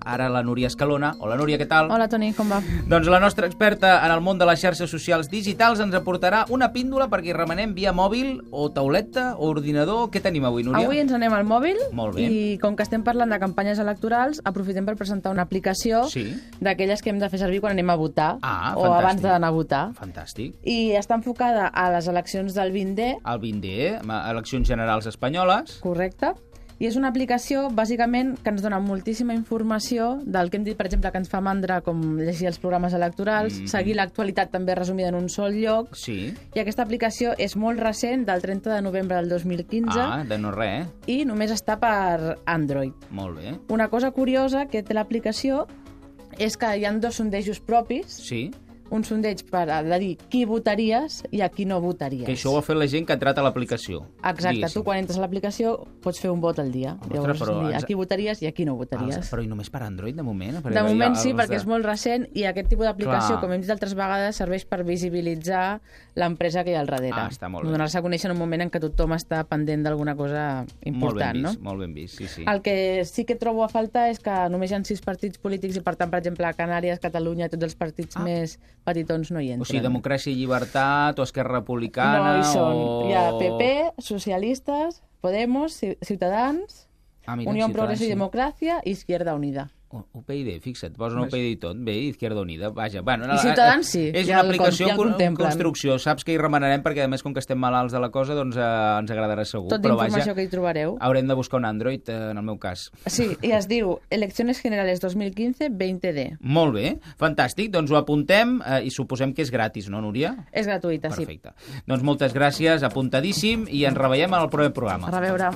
ara la Núria Escalona. Hola, Núria, què tal? Hola, Toni, com va? Doncs la nostra experta en el món de les xarxes socials digitals ens aportarà una píndola perquè hi remenem via mòbil o tauleta o ordinador. Què tenim avui, Núria? Avui ens anem al mòbil. Molt bé. I com que estem parlant de campanyes electorals, aprofitem per presentar una aplicació d'aquelles que hem de fer servir quan anem a votar o abans d'anar a votar. Fantàstic. I està enfocada a les eleccions del 20D. El 20D, eleccions generals espanyoles. Correcte. I és una aplicació, bàsicament, que ens dona moltíssima informació del que hem dit, per exemple, que ens fa mandra, com llegir els programes electorals, seguir l'actualitat també resumida en un sol lloc. Sí. I aquesta aplicació és molt recent, del 30 de novembre del 2015. Ah, de no res, I només està per Android. Molt bé. Una cosa curiosa que té l'aplicació és que hi ha dos sondejos propis. Sí. Un sondeig per dir qui votaries i a qui no votaries. Que això ho ha fet la gent que ha entrat a l'aplicació. Exacte, tu quan entres a l'aplicació pots fer un vot al dia. Llavors, dir a qui votaries i a qui no votaries. Però i només per Android, de moment? De moment sí, perquè és molt recent i aquest tipus d'aplicació, com hem dit altres vegades, serveix per visibilitzar l'empresa que hi ha al darrere. Ah, està molt bé. Donar-se a conèixer en un moment en què tothom està pendent d'alguna cosa important, no? Molt ben vist, sí, sí. El que sí que trobo a faltar és que només hi ha 6 partits polítics i, per tant, per exemple, a Canàries, Catalunya, tots els partits més petitons no hi entren. O sigui, Democràcia i Llibertat o Esquerra Republicana... No hi són. Hi ha PP, Socialistes, Podemos, Ciutadans, Unió Progrés i Democràcia i Izquierda Unida. UPyD, fixa't, posen UPyD i tot. Bé, Izquierda Unida, vaja. I Ciutadans sí. És una aplicació en construcció. Saps que hi remenarem perquè, a més, com que estem malalts de la cosa, doncs ens agradarà segur. Tot d'informació que hi trobareu. Haurem de buscar un Android, en el meu cas. Sí, i es diu Elecciones Generales 2015 20D. Molt bé, fantàstic. Doncs ho apuntem i suposem que és gratis, no, Núria? És gratuïta, sí. Perfecte. Doncs moltes gràcies, apuntadíssim, i ens reveiem en el proper programa. A reveure.